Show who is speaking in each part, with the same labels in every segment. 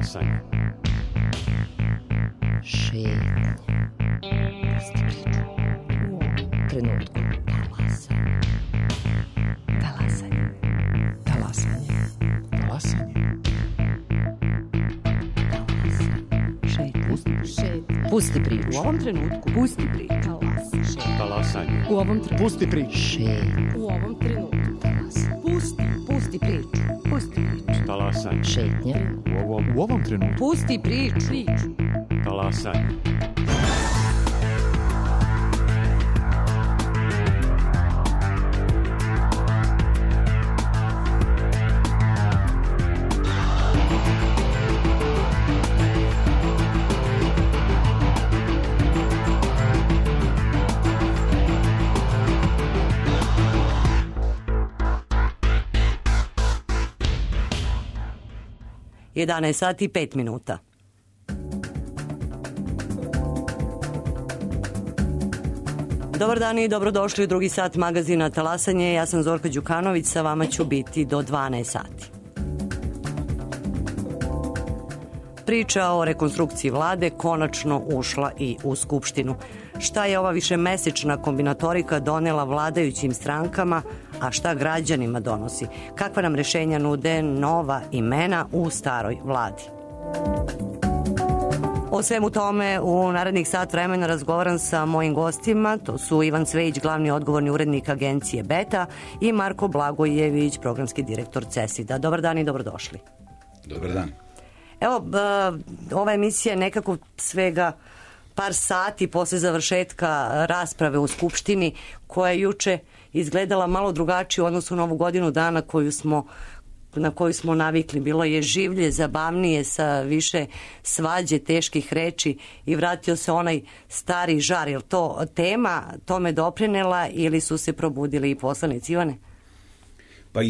Speaker 1: Talasanje.
Speaker 2: Šetnje. Pusti priču. U ovom trenutku. Talasanje. Talasanje.
Speaker 3: Talasanje.
Speaker 2: Šetnje. Pusti priču.
Speaker 4: U ovom trenutku.
Speaker 2: Pusti priču.
Speaker 1: Talasanje.
Speaker 4: U ovom trenutku.
Speaker 3: Pusti priču.
Speaker 2: Šetnje.
Speaker 4: U ovom trenutku.
Speaker 2: Pusti priču. Pusti priču.
Speaker 1: Talasanje.
Speaker 2: Šetnje.
Speaker 3: U ovom trenutku.
Speaker 2: Pusti priču.
Speaker 1: Talasanje.
Speaker 5: Jedanaest sati i 5 minuta. Dobar dan i dobrodošli u drugi sat magazina Talasanje. Ja sam Zorka Đukanović, sa vama ću biti do 12 sati. Priča o rekonstrukciji vlade konačno ušla i u Skupštinu. Šta je ova višemesečna kombinatorika donela vladajućim strankama, a šta građanima donosi? Kakva nam rešenja nude nova imena u staroj vladi? O svemu tome u narednih sat vremena razgovaram sa mojim gostima. To su Ivan Cvejić, glavni odgovorni urednik agencije Beta, i Marko Blagojević, programski direktor CESID-a. Dobar dan i dobrodošli.
Speaker 6: Dobar dan.
Speaker 5: Evo, ova emisija je nekako svega par sati posle završetka rasprave u Skupštini, koja je juče izgledala malo drugačije u odnosu na ovu godinu dana na koju smo navikli. Bilo je življe, zabavnije, sa više svađe, teških reči i vratio se onaj stari žar. Je li to tema tome doprinela ili su se probudili i poslanici? Ivane?
Speaker 6: Pa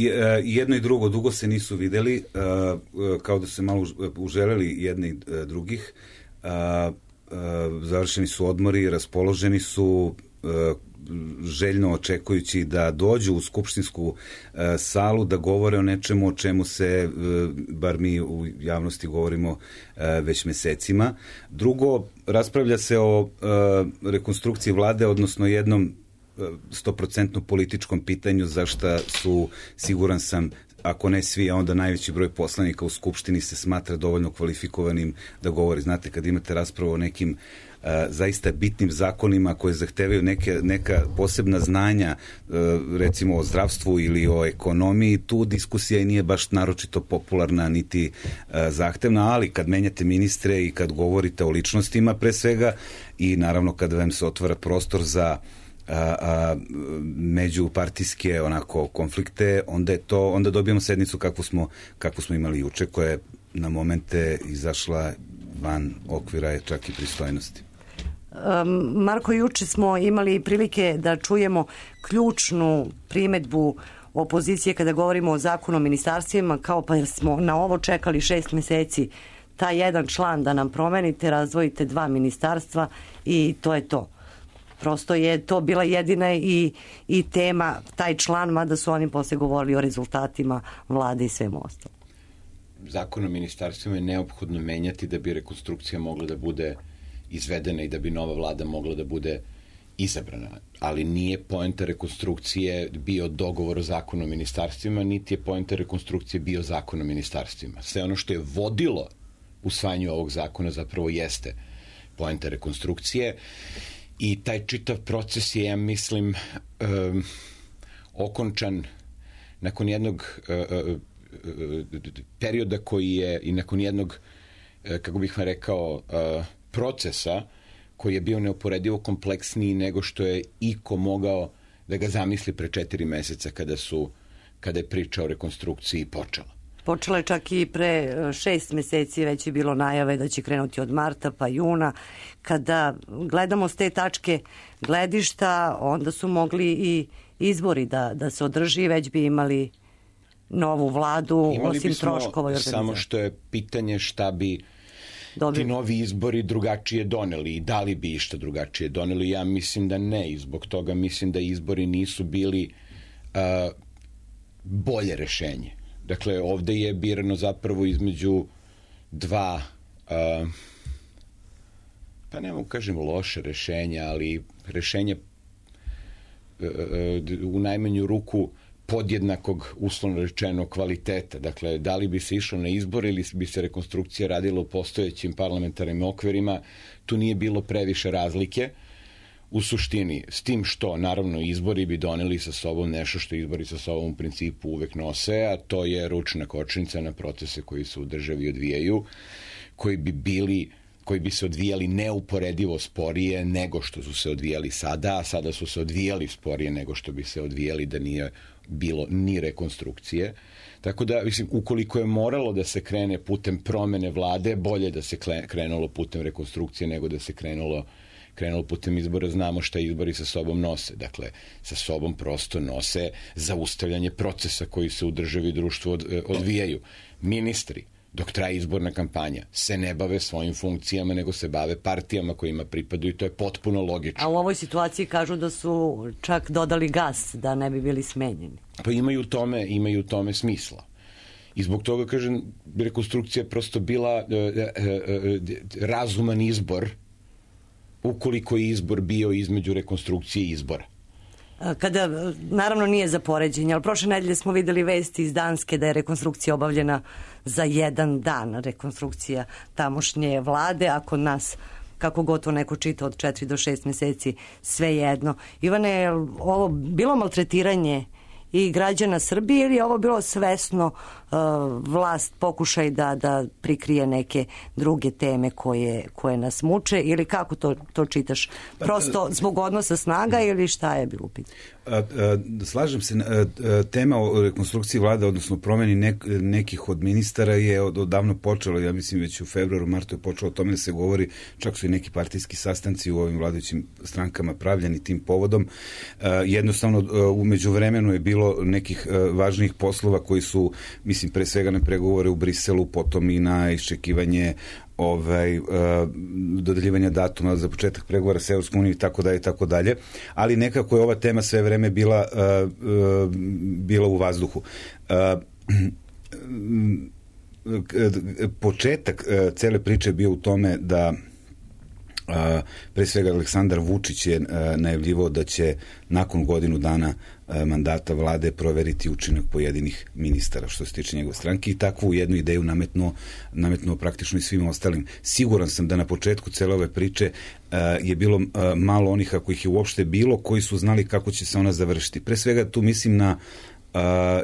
Speaker 6: jedno i drugo, dugo se nisu videli, kao da se malo uželeli jedni drugih. Završeni su odmori, raspoloženi su, željno očekujući da dođu u skupštinsku salu da govore o nečemu o čemu se, bar mi u javnosti govorimo već mesecima. Drugo, raspravlja se o rekonstrukciji vlade, odnosno jednom 100% političkom pitanju, za šta su, siguran sam, ako ne svi, a onda najveći broj poslanika u Skupštini se smatra dovoljno kvalifikovanim da govori. Znate, kad imate raspravu o nekim zaista bitnim zakonima koje zahtevaju neka posebna znanja, recimo o zdravstvu ili o ekonomiji, tu diskusija i nije baš naročito popularna niti zahtevna, ali kad menjate ministre i kad govorite o ličnostima pre svega i naravno kad vam se otvara prostor za međupartijske onako konflikte, onda dobijamo sednicu kakvu smo imali juče, koja je na momente izašla van okvira čak i pristojnosti.
Speaker 5: Marko, juče smo imali prilike da čujemo ključnu primedbu opozicije kada govorimo o zakonu o ministarstvima, kao pa smo na ovo čekali 6 meseci, taj jedan član da nam promenite, razdvojite 2 ministarstva i to je to. Prosto je to bila jedina i tema, taj član, mada su oni posle govorili o rezultatima vlade i svemu ostalo.
Speaker 7: Zakon o ministarstvima je neophodno menjati da bi rekonstrukcija mogla da bude izvedena i da bi nova vlada mogla da bude izabrana. Ali nije poenta rekonstrukcije bio dogovor o zakonu o ministarstvima, niti je poenta rekonstrukcije bio zakon o ministarstvima. Sve ono što je vodilo usvajanju ovog zakona zapravo jeste poenta rekonstrukcije. I taj čitav proces je, ja mislim, okončan nakon jednog perioda koji je i nakon jednog, kako bih vam rekao, procesa koji je bio neuporedivo kompleksniji nego što je iko mogao da ga zamisli pre 4 meseca kada je priča o rekonstrukciji počela.
Speaker 5: Počela je čak i pre 6 meseci, već je bilo najave da će krenuti od marta pa juna. Kada gledamo s te tačke gledišta, onda su mogli i izbori da se održi, već bi imali novu vladu, osim troškova i organizacije.
Speaker 7: Samo što je pitanje šta bi ti novi izbori drugačije doneli i da li bi išta drugačije doneli. Ja mislim da ne i zbog toga mislim da izbori nisu bili bolje rešenje. Dakle, ovde je birano zapravo između dva, pa ne mogu kažem loše rešenja, ali rešenja u najmanju ruku podjednakog, uslovno rečeno, kvaliteta. Dakle, da li bi se išlo na izbor ili bi se rekonstrukcija radila u postojećim parlamentarnim okvirima, tu nije bilo previše razlike u suštini, s tim što, naravno, izbori bi doneli sa sobom nešto što izbori sa sobom u principu uvek nose, a to je ručna kočnica na procese koji se u državi odvijaju, koji bi se odvijali neuporedivo sporije nego što su se odvijali sada, a sada su se odvijali sporije nego što bi se odvijali da nije bilo ni rekonstrukcije. Tako da, mislim, ukoliko je moralo da se krene putem promene vlade, bolje da se krenulo putem rekonstrukcije nego da se krenulo putem izbora. Znamo šta izbori sa sobom nose. Dakle, sa sobom prosto nose zaustavljanje procesa koji se u državi i društvu odvijaju. Ministri, dok traje izborna kampanja, se ne bave svojim funkcijama, nego se bave partijama kojima pripadaju i to je potpuno logično.
Speaker 5: A u ovoj situaciji kažu da su čak dodali gas, da ne bi bili smenjeni.
Speaker 7: Pa imaju u tome smisla. I zbog toga, kažem, rekonstrukcija je prosto bila razuman izbor, ukoliko je izbor bio između rekonstrukcije i izbora.
Speaker 5: Kada, naravno nije za poređenje, ali prošle nedelje smo videli vesti iz Danske da je rekonstrukcija obavljena za jedan dan, rekonstrukcija tamošnje vlade, a kod nas, kako gotovo neko čita, od 4 do 6 meseci, sve jedno. Ivane, je ovo bilo maltretiranje i građana Srbije ili je ovo bilo svesno vlast pokušaj da prikrije neke druge teme koje nas muče ili kako to čitaš? Prosto zbog odnosa snaga ili šta je bilo u pitanju?
Speaker 6: Slažem se, tema o rekonstrukciji vlade, odnosno promeni nekih od ministara je odavno počelo, ja mislim već u februaru, martu je počelo o tome da se govori, čak su i neki partijski sastanci u ovim vladajućim strankama pravljeni tim povodom. Jednostavno, umeđu vremenu je bilo nekih važnijih poslova koji su, mislim, pre svega na pregovore u Briselu, potom i na iščekivanje dodeljivanja datuma za početak pregovora sa Evropskom unijom i tako dalje, ali nekako je ova tema sve vreme bila u vazduhu. Početak cele priče je bio u tome da pre svega Aleksandar Vučić je najavljivao da će nakon godinu dana mandata vlade proveriti učinak pojedinih ministara što se tiče njegove stranke i takvu jednu ideju nametnuo praktično i svim ostalim. Siguran sam da na početku cele ove priče je bilo malo onih, ako ih je uopšte bilo, koji su znali kako će se ona završiti. Pre svega tu mislim na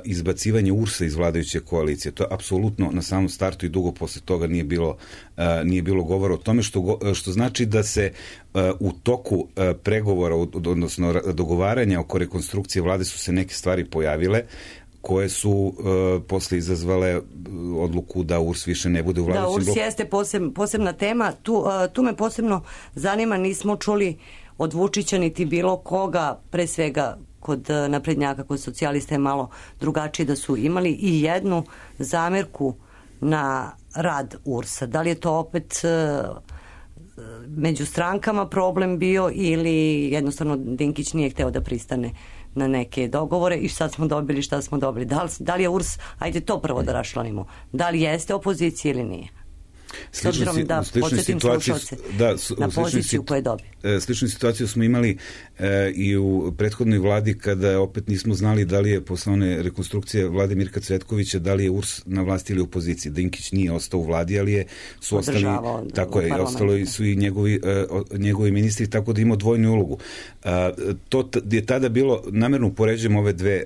Speaker 6: izbacivanje URS-a iz vladajuće koalicije. To je apsolutno na samom startu i dugo posle toga nije bilo govora o tome, što znači da se u toku pregovora, odnosno dogovaranja oko rekonstrukcije vlade su se neke stvari pojavile koje su posle izazvale odluku da URS više ne bude u vladajućem bloku.
Speaker 5: Da, URS jeste posebna tema. Tu me posebno zanima, nismo čuli od Vučića niti bilo koga, pre svega kod naprednjaka, kod socijalista je malo drugačije, da su imali i jednu zamerku na rad URS-a. Da li je to opet među strankama problem bio ili jednostavno Dinkić nije hteo da pristane na neke dogovore i šta smo dobili, šta smo dobili? Da li je URS, ajde to prvo da raščlanimo, da li jeste opozicija ili nije? S obzirom da podsjetim slušalce na poziciju koju je dobio.
Speaker 6: Sličnu situaciju smo imali i u prethodnoj vladi kada opet nismo znali da li je posle one rekonstrukcije vlade Mirka Cvetkovića, da li je URS na vlasti ili u opoziciji. Dinkić nije ostao u vladi, ali su ostali, tako je, ostalo su i njegovi ministri, tako da ima dvojnu ulogu. To je tada bilo, namerno upoređujem ove dve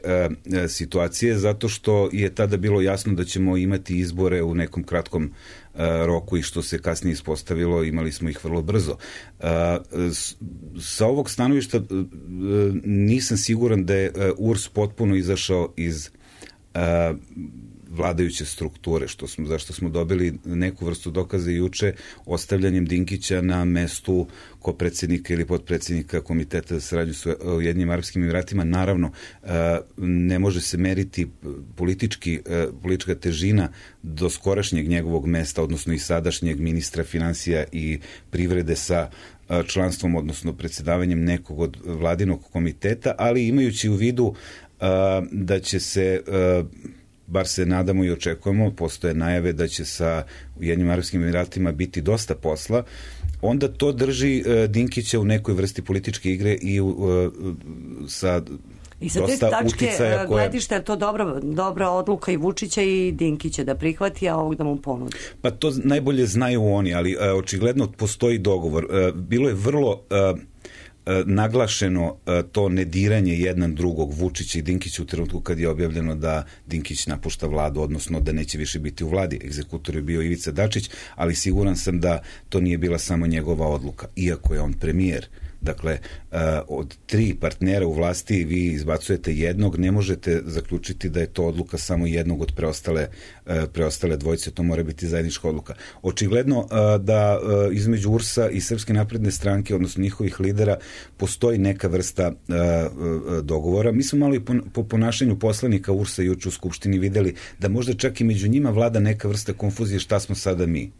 Speaker 6: situacije, zato što je tada bilo jasno da ćemo imati izbore u nekom kratkom roku i što se kasnije ispostavilo, imali smo ih vrlo brzo. Sa ovog stanovišta nisam siguran da je URS potpuno izašao iz vladajuće strukture, zašto smo dobili neku vrstu dokaza juče ostavljanjem Dinkića na mestu kopredsednika ili podpredsednika Komiteta za saradnju sa Ujedinjenim Arapskim Emiratima. Naravno, ne može se meriti politička težina do skorašnjeg njegovog mesta, odnosno i sadašnjeg ministra finansija i privrede sa članstvom, odnosno predsedavanjem nekog od vladinog komiteta, ali imajući u vidu da će se bar se nadamo i očekujemo, postoje najave da će sa Ujedinjenim Arapskim Emiratima biti dosta posla, onda to drži Dinkića u nekoj vrsti političke igre i sa
Speaker 5: I sa te tačke gledišta je to dobra odluka i Vučića i Dinkića da prihvati, a ovog da mu ponudi.
Speaker 6: Pa to najbolje znaju oni, ali očigledno postoji dogovor. Bilo je vrlo naglašeno to nediranje jedan drugog, Vučića i Dinkića, u trenutku kad je objavljeno da Dinkić napušta vladu, odnosno da neće više biti u vladi. Egzekutor je bio Ivica Dačić, ali siguran sam da to nije bila samo njegova odluka, iako je on premijer. Dakle, od 3 partnera u vlasti vi izbacujete jednog, ne možete zaključiti da je to odluka samo jednog od preostale dvojice, to mora biti zajednička odluka. Očigledno da između URS-a i Srpske napredne stranke, odnosno njihovih lidera, postoji neka vrsta dogovora. Mi smo malo i po ponašanju poslanika URS-a juče u Skupštini videli da možda čak i među njima vlada neka vrsta konfuzije šta smo sada mi.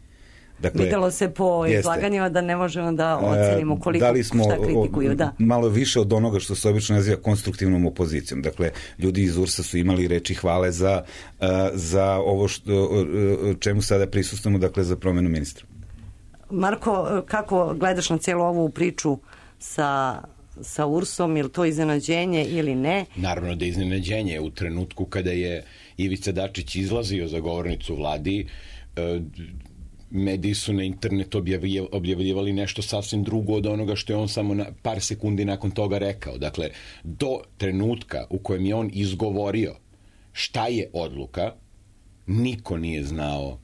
Speaker 5: Dakle, videlo se po izlaganjima da ne možemo da ocenimo koliko šta kritikuju.
Speaker 6: Malo više od onoga što se obično naziva konstruktivnom opozicijom. Dakle, ljudi iz URS-a su imali reči hvale za ovo čemu sada prisustamo, dakle za promenu ministra.
Speaker 5: Marko, kako gledaš na cijelu ovu priču sa URS-om, ili to iznenađenje ili ne?
Speaker 7: Naravno da je iznenađenje. U trenutku kada je Ivica Dačić izlazio za govornicu vladi, mediji su na internetu objavljivali nešto sasvim drugo od onoga što je on samo par sekundi nakon toga rekao. Dakle, do trenutka u kojem je on izgovorio šta je odluka, niko nije znao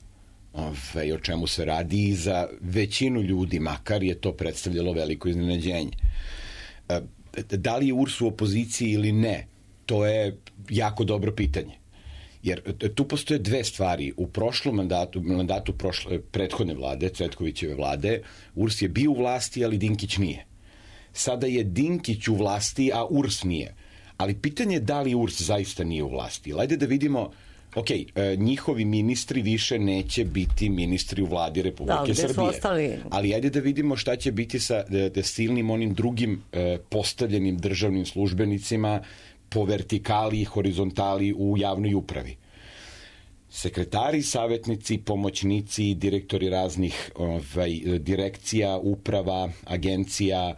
Speaker 7: o čemu se radi i za većinu ljudi, makar je to predstavljalo veliko iznenađenje. Da li je URS u opoziciji ili ne, to je jako dobro pitanje. Jer tu postoje 2 stvari. U prošlom mandatu prethodne vlade, Cvetkovićeve vlade, URS je bio u vlasti, ali Dinkić nije. Sada je Dinkić u vlasti, a URS nije. Ali pitanje je da li URS zaista nije u vlasti. Ajde da vidimo, njihovi ministri više neće biti ministri u vladi Republike Srbije. Ali ajde da vidimo šta će biti sa silnim onim drugim postavljenim državnim službenicima po vertikali i horizontali u javnoj upravi. Sekretari, savjetnici, pomoćnici, direktori raznih direkcija, uprava, agencija.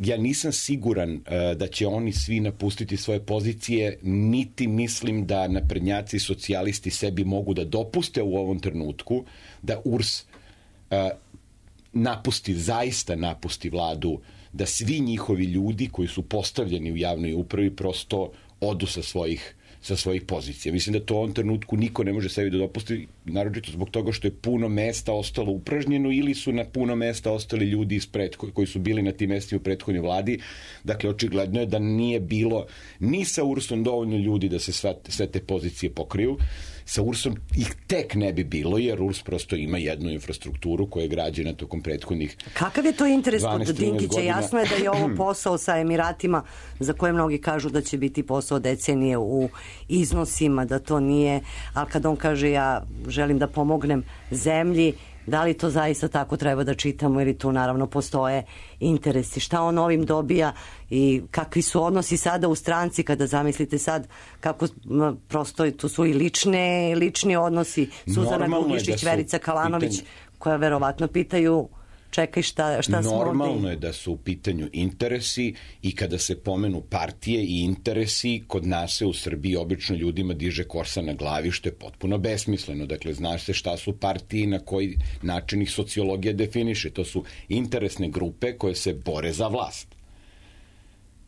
Speaker 7: Ja nisam siguran da će oni svi napustiti svoje pozicije, niti mislim da naprednjaci i socijalisti sebi mogu da dopuste u ovom trenutku da URS zaista napusti vladu, da svi njihovi ljudi koji su postavljeni u javnoj upravi prosto odu sa svojih pozicija. Mislim da to u ovom trenutku niko ne može sebi da dopusti, naročito zbog toga što je puno mesta ostalo upražnjeno ili su na puno mesta ostali ljudi koji su bili na tim mestima u prethodnoj vladi. Dakle, očigledno je da nije bilo ni sa URS-om dovoljno ljudi da se sve te pozicije pokriju. Sa URS-om ih tek ne bi bilo, jer URS prosto ima jednu infrastrukturu koja je građena tokom prethodnih 12-13 godina.
Speaker 5: Kakav je to interes kod Dinkića? Jasno je da je ovo posao sa Emiratima za koje mnogi kažu da će biti posao decenije u iznosima, da to nije, ali kad on kaže ja želim da pomognem zemlji, da li to zaista tako treba da čitamo ili tu naravno postoje interesi? Šta on ovim dobija i kakvi su odnosi sada u stranci kada zamislite sad kako prosto tu su i lični odnosi, Suzana Grubješić, Verica Kalanović, koja verovatno pitaju čekaj šta smo ovdje.
Speaker 7: Normalno je da su u pitanju interesi i kada se pomenu partije i interesi, kod nas se u Srbiji obično ljudima diže kosa na glavi, što je potpuno besmisleno. Dakle, znaš se šta su partije i na koji način ih sociologija definiše. To su interesne grupe koje se bore za vlast.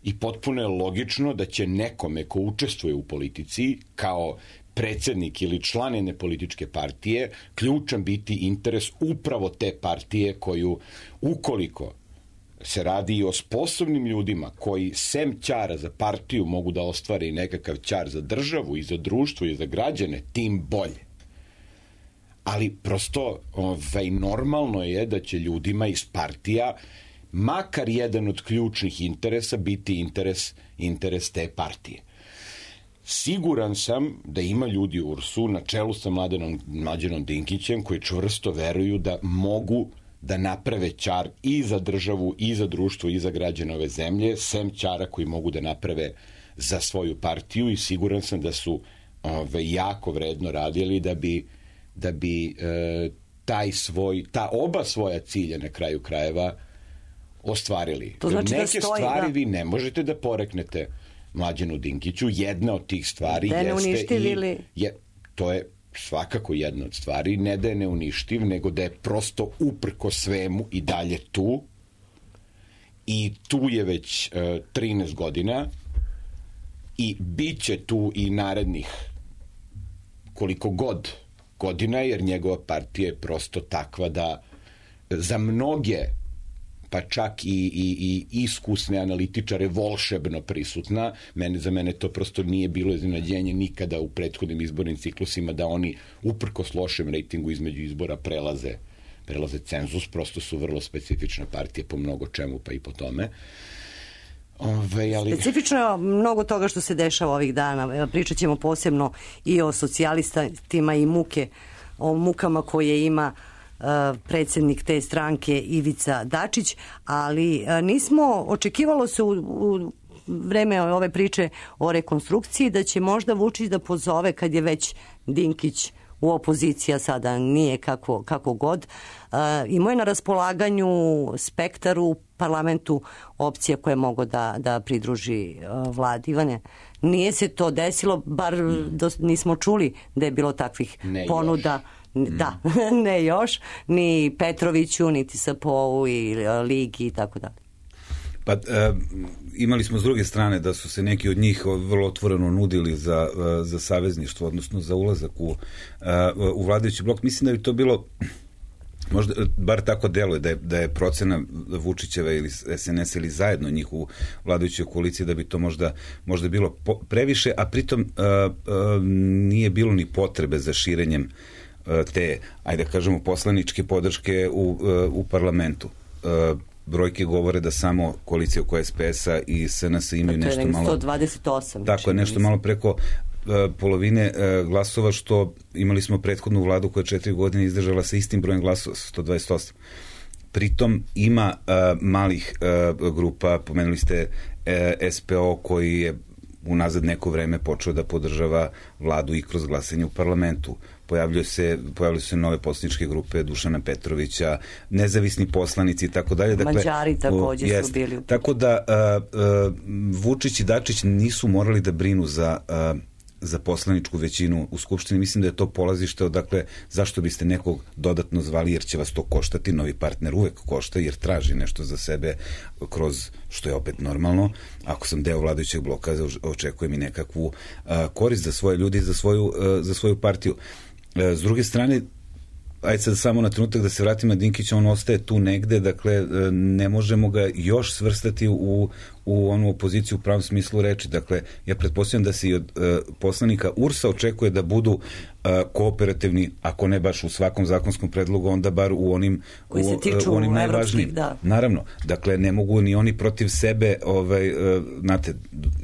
Speaker 7: I potpuno je logično da će nekome ko učestvuje u politici kao predsjednik ili član jedne političke partije, ključan biti interes upravo te partije koju, ukoliko se radi i o sposobnim ljudima koji sem ćara za partiju mogu da ostvare i nekakav ćar za državu i za društvo i za građane, tim bolje. Ali prosto normalno je da će ljudima iz partija makar jedan od ključnih interesa biti interes te partije. Siguran sam da ima ljudi u URS-u na čelu sa Mlađanom Dinkićem koji čvrsto veruju da mogu da naprave ćar i za državu, i za društvo, i za građane ove zemlje, sem ćara koji mogu da naprave za svoju partiju, i siguran sam da su jako vredno radili da bi ta oba svoja cilja na kraju krajeva ostvarili.
Speaker 5: To znači
Speaker 7: neke
Speaker 5: da stoji,
Speaker 7: stvari
Speaker 5: da.
Speaker 7: vi ne možete da poreknete Mlađanu Dinkiću. Jedna od tih stvari
Speaker 5: da ne
Speaker 7: jeste
Speaker 5: uništili.
Speaker 7: to je svakako jedna od stvari, ne da je neuništiv, nego da je prosto uprko svemu i dalje tu, i tu je već 13 godina i bit će tu i narednih koliko god godina, jer njegova partija je prosto takva da za mnoge, pa čak i iskusne analitičare, volšebno prisutna. Za mene to prosto nije bilo iznenađenje nikada u prethodnim izbornim ciklusima da oni uprkos lošem rejtingu između izbora prelaze cenzus, prosto su vrlo specifična partija po mnogo čemu, pa i po tome.
Speaker 5: Specifično je mnogo toga što se dešava ovih dana. Pričat ćemo posebno i o socijalistima i o mukama koje ima predsjednik te stranke Ivica Dačić, ali očekivalo se u vreme ove priče o rekonstrukciji da će možda Vučić da pozove, kad je već Dinkić u opoziciji, a sada nije kako god. Imao je na raspolaganju spektar u parlamentu opcija koje mogu da pridruži vladi. Ivane, nije se to desilo, bar nismo čuli da je bilo takvih ponuda. Da, ne još, ni Petroviću, niti SPO-u i Ligi i tako dalje.
Speaker 6: Pa imali smo s druge strane da su se neki od njih vrlo otvoreno nudili za savezništvo, odnosno za ulazak u vladajući blok. Mislim da bi to bilo, možda, bar tako deluje, da je procena Vučićeva ili SNS ili zajedno njih u vladajućoj koaliciji, da bi to možda bilo previše, a pritom nije bilo ni potrebe za širenjem te, ajde kažemo, poslaničke podrške u parlamentu. Brojke govore da samo koalicija oko SPS-a i SNS imaju nešto malo...
Speaker 5: 128.
Speaker 6: Tako je, nešto malo preko polovine glasova, što imali smo prethodnu vladu koja 4 godine izdržala sa istim brojem glasova, 128. Pritom ima malih grupa, pomenuli ste SPO koji je unazad neko vreme počeo da podržava vladu i kroz glasanje u parlamentu. Pojavljaju se nove poslaničke grupe Dušana Petrovića, nezavisni poslanici i tako dalje. Dakle,
Speaker 5: Mađari također su bili.
Speaker 6: Tako da Vučić i Dačić nisu morali da brinu za poslaničku većinu u Skupštini. Mislim da je to polazište odakle zašto biste nekog dodatno zvali, jer će vas to koštati. Novi partner uvek košta jer traži nešto za sebe kroz, što je opet normalno. Ako sam deo vladajućeg bloka, očekujem i nekakvu korist za svoje ljudi, za svoju partiju. S druge strane, ajde sad samo na trenutak da se vratimo na Dinkića, on ostaje tu negde, dakle ne možemo ga još svrstati u onu opoziciju u pravom smislu reči. Dakle, ja pretpostavljam da se i od poslanika URS-a očekuje da budu kooperativni, ako ne baš u svakom zakonskom predlogu, onda bar u onim
Speaker 5: koji se tiču
Speaker 6: onim najvažnijim.
Speaker 5: Da.
Speaker 6: Naravno, dakle ne mogu ni oni protiv sebe, znate,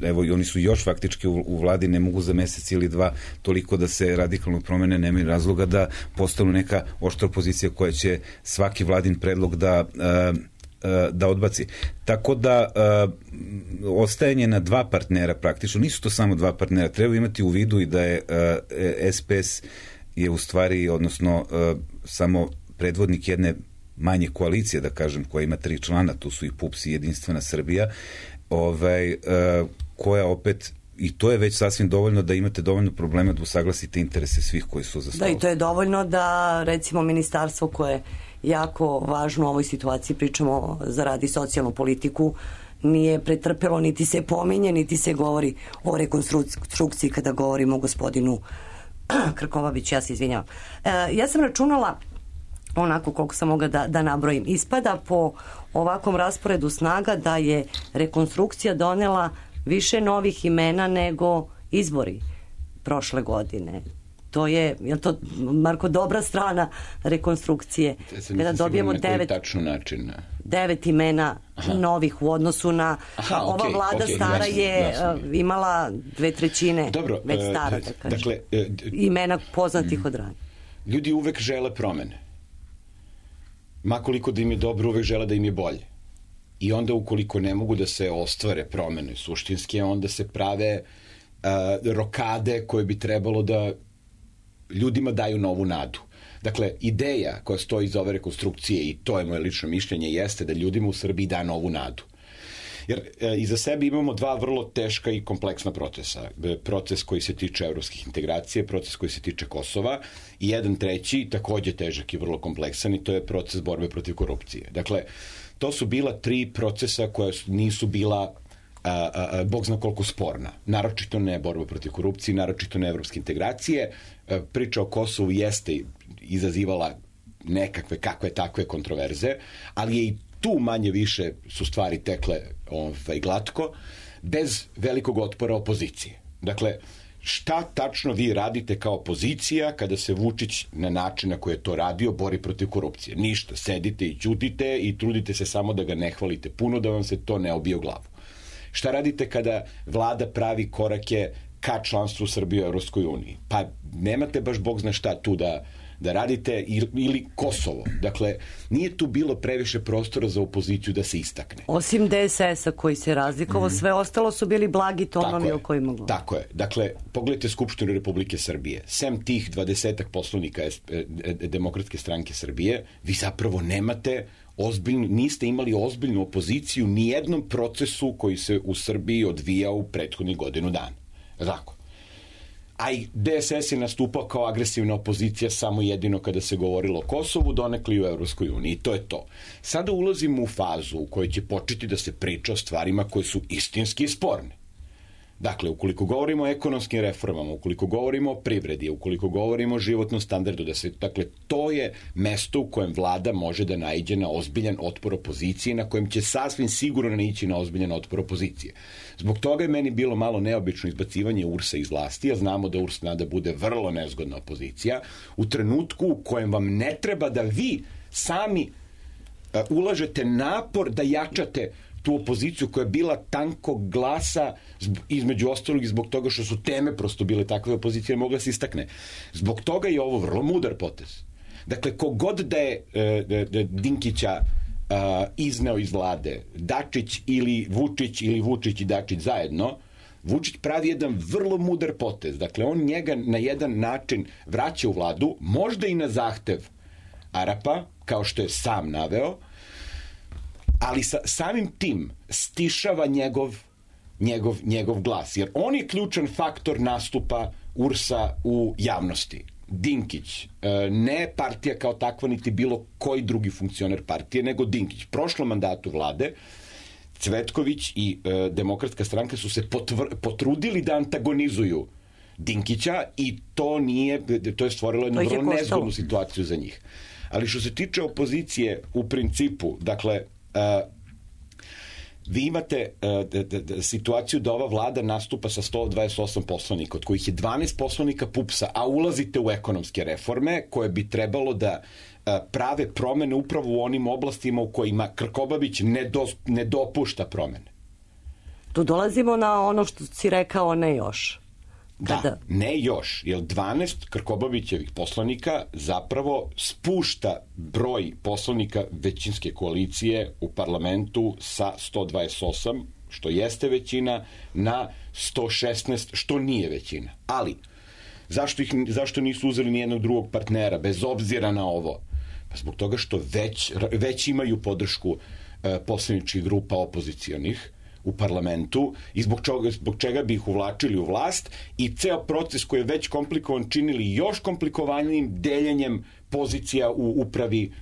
Speaker 6: evo i oni su još faktički u vladi, ne mogu za mesec ili dva toliko da se radikalno promene, nema razloga da postanu neka oštra opozicija koja će svaki vladin predlog da odbaci. Tako da ostajanje na dva partnera praktično, nisu to samo dva partnera, treba imati u vidu i da je SPS je u stvari, odnosno samo predvodnik jedne manje koalicije, da kažem, koja ima 3 člana, tu su i PUPS i Jedinstvena Srbija, koja opet, i to je već sasvim dovoljno da imate dovoljno problema da usaglasite interese svih koji su za stolom.
Speaker 5: Da, i to je dovoljno da, recimo, ministarstvo koje je jako važno u ovoj situaciji, pričamo za radi socijalnu politiku, nije pretrpelo, niti se pominje, niti se govori o rekonstrukciji kada govorimo o gospodinu Krkobabiću, ja se izvinjavam. Ja sam računala onako koliko sam mogla da nabrojim. Ispada po ovakvom rasporedu snaga da je rekonstrukcija donela više novih imena nego izbori prošle godine. To je to, Marko, dobra strana rekonstrukcije? Kada dobijemo 9 imena novih u odnosu na ova vlada stara je imala 2/3 već stara, da kažem. Dakle, imena poznatih od ranije.
Speaker 7: Ljudi uvek žele promene. Makoliko da im je dobro, uvek žele da im je bolje. I onda ukoliko ne mogu da se ostvare promene suštinske, onda se prave rokade koje bi trebalo da ljudima daju novu nadu. Dakle, ideja koja stoji iza ove rekonstrukcije, i to je moje lično mišljenje, jeste da ljudima u Srbiji da novu nadu. Jer iza sebe imamo dva vrlo teška i kompleksna procesa. Proces koji se tiče evropskih integracije, proces koji se tiče Kosova i jedan treći, takođe težak i vrlo kompleksan, i to je proces borbe protiv korupcije. Dakle, to su bila tri procesa koja nisu bila bog zna koliko sporna. Naročito ne borba protiv korupcije, naročito ne evropske integracije. Priča o Kosovu jeste izazivala nekakve kakve takve kontroverze, ali je i tu manje više su stvari tekle glatko, bez velikog otpora opozicije. Dakle, šta tačno vi radite kao opozicija kada se Vučić na način na koji je to radio bori protiv korupcije? Ništa, sedite i ćutite i trudite se samo da ga ne hvalite puno, da vam se to ne obije u glavu. Šta radite kada vlada pravi korake ka članstvu Srbije u Evropskoj uniji? Pa nemate baš bog zna šta tu da radite, ili Kosovo. Dakle, nije tu bilo previše prostora za opoziciju da se istakne.
Speaker 5: Osim DSS-a koji se razlikovao, sve ostalo su bili blagi tonovi o kojima govorim.
Speaker 7: Tako je. Dakle, pogledajte Skupštinu Republike Srbije. Sem tih 20 poslanika Demokratske stranke Srbije, vi zapravo nemate niste imali ozbiljnu opoziciju ni jednom procesu koji se u Srbiji odvijao u prethodnih godinu dana. Tako. A i DSS je nastupao kao agresivna opozicija samo jedino kada se govorilo o Kosovu, donekle i u Evropskoj uniji. I to je to. Sada ulazimo u fazu u kojoj će početi da se priča o stvarima koje su istinski sporne. Dakle, ukoliko govorimo o ekonomskim reformama, ukoliko govorimo o privredi, ukoliko govorimo o životnom standardu, dakle, to je mesto u kojem vlada može da naiđe na ozbiljan otpor opozicije, na kojem će sasvim sigurno naići na ozbiljan otpor opozicije. Zbog toga je meni bilo malo neobično izbacivanje URS-a iz vlasti, a znamo da URS nada bude vrlo nezgodna opozicija, u trenutku u kojem vam ne treba da vi sami ulažete napor da jačate tu opoziciju koja je bila tankog glasa, između ostalog i zbog toga što su teme prosto bile takve, opozicija je mogla se istakne. Zbog toga je ovo vrlo mudar potez. Dakle, kogod da je Dinkića izneo iz vlade, Dačić ili Vučić i Dačić zajedno, Vučić pravi jedan vrlo mudar potez. Dakle, on njega na jedan način vraća u vladu, možda i na zahtev Arapa, kao što je sam naveo, ali samim tim stišava njegov glas. Jer on je ključan faktor nastupa URS-a u javnosti. Dinkić, ne partija kao takva, niti bilo koji drugi funkcioner partije, nego Dinkić. Prošlom mandatu vlade Cvetković i Demokratska stranka su se potrudili da antagonizuju Dinkića i to je stvorilo jednu vrlo nezgodnu situaciju za njih. Ali što se tiče opozicije, u principu, dakle, vi imate situaciju da ova vlada nastupa sa 128 poslanika, od kojih je 12 poslanika PUPS-a, a ulazite u ekonomske reforme koje bi trebalo da prave promene upravo u onim oblastima u kojima Krkobabić ne dopušta promene.
Speaker 5: Tu dolazimo na ono što si rekao, ne još.
Speaker 7: Da, ne još, jer 12 Krkobabićevih poslanika zapravo spušta broj poslanika većinske koalicije u parlamentu sa 128, što jeste većina, na 116, što nije većina. Ali, zašto nisu uzeli nijednog drugog partnera, bez obzira na ovo? Pa zbog toga što već imaju podršku poslaničkih grupa opozicionih u parlamentu i zbog čega bi ih uvlačili u vlast, i ceo proces koji je već komplikovan činili još komplikovanijim deljenjem pozicija u upravi,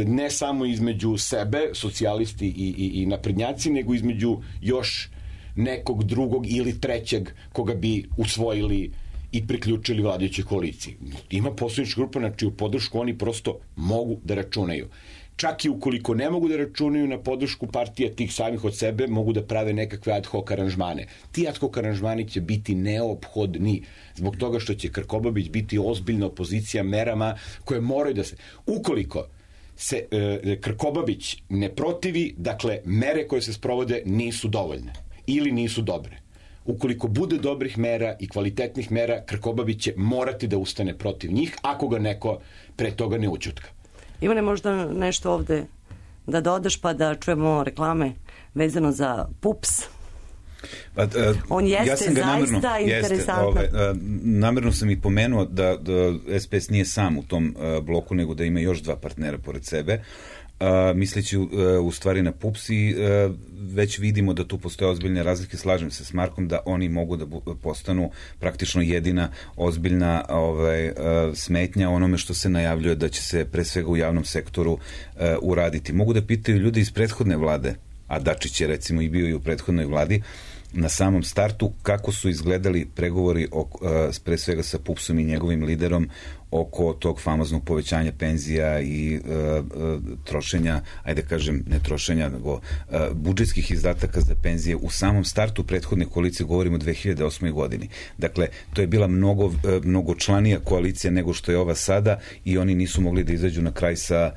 Speaker 7: ne samo između sebe, socijalisti i naprednjaci, nego između još nekog drugog ili trećeg koga bi usvojili i priključili vladajućoj koaliciji. Ima poslanička grupa na čiju podršku oni prosto mogu da računaju. Čak i ukoliko ne mogu da računaju na podršku partija tih samih od sebe, mogu da prave nekakve ad hoc aranžmane. Ti ad hoc aranžmani će biti neophodni zbog toga što će Krkobabić biti ozbiljna opozicija merama koje moraju da se... Ukoliko se Krkobabić ne protivi, dakle, mere koje se sprovode nisu dovoljne ili nisu dobre. Ukoliko bude dobrih mera i kvalitetnih mera, Krkobabić će morati da ustane protiv njih ako ga neko pre toga ne ućutka.
Speaker 5: Ivane, možda nešto ovde da dodaš pa da čujemo reklame vezano za PUPS? On jeste zaista interesantan.
Speaker 6: Namerno sam i pomenuo da SPS nije sam u tom bloku, nego da ima još dva partnera pored sebe. Misleći u stvari na PUPS i već vidimo da tu postoje ozbiljne razlike. Slažem se s Markom da oni mogu da postanu praktično jedina ozbiljna smetnja onome što se najavljuje da će se pre svega u javnom sektoru uraditi. Mogu da pitaju ljudi iz prethodne vlade, a Dačić je recimo i bio i u prethodnoj vladi, na samom startu kako su izgledali pregovori pre svega sa PUPS-om i njegovim liderom oko tog famoznog povećanja penzija i trošenja, ajde kažem, ne trošenja, nego budžetskih izdataka za penzije u samom startu prethodne koalicije, govorimo o 2008. godini. Dakle, to je bila mnogočlanija koalicija nego što je ova sada i oni nisu mogli da izađu na kraj sa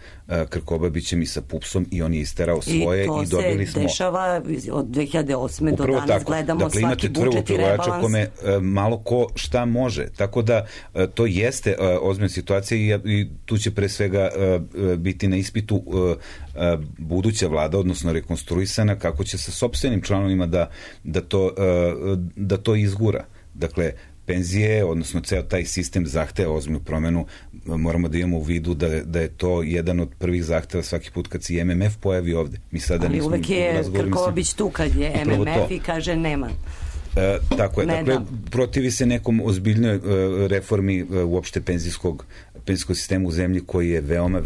Speaker 6: Krkobabićem i sa PUPS-om i on je isterao svoje i dobili smo.
Speaker 5: I to se dešava od 2008. do danas, tako. Gledamo
Speaker 6: dakle,
Speaker 5: svaki budžet i rebalans.
Speaker 6: Kome malo ko šta može. Tako da to jeste ozbiljna situacija i tu će pre svega biti na ispitu buduća vlada, odnosno rekonstruisana, kako će sa sopstvenim članovima da to izgura. Dakle, penzije, odnosno ceo taj sistem zahteva ozbiljnu promenu. Moramo da imamo u vidu da je to jedan od prvih zahteva svaki put kad se i MMF pojavi ovde. Mi sada
Speaker 5: ali uvek je Krkobabić tu kad je MMF i kaže nema.
Speaker 6: Tako je. Dakle, protivi se nekom ozbiljnoj reformi uopšte penzijskog sistema u zemlji koji je veoma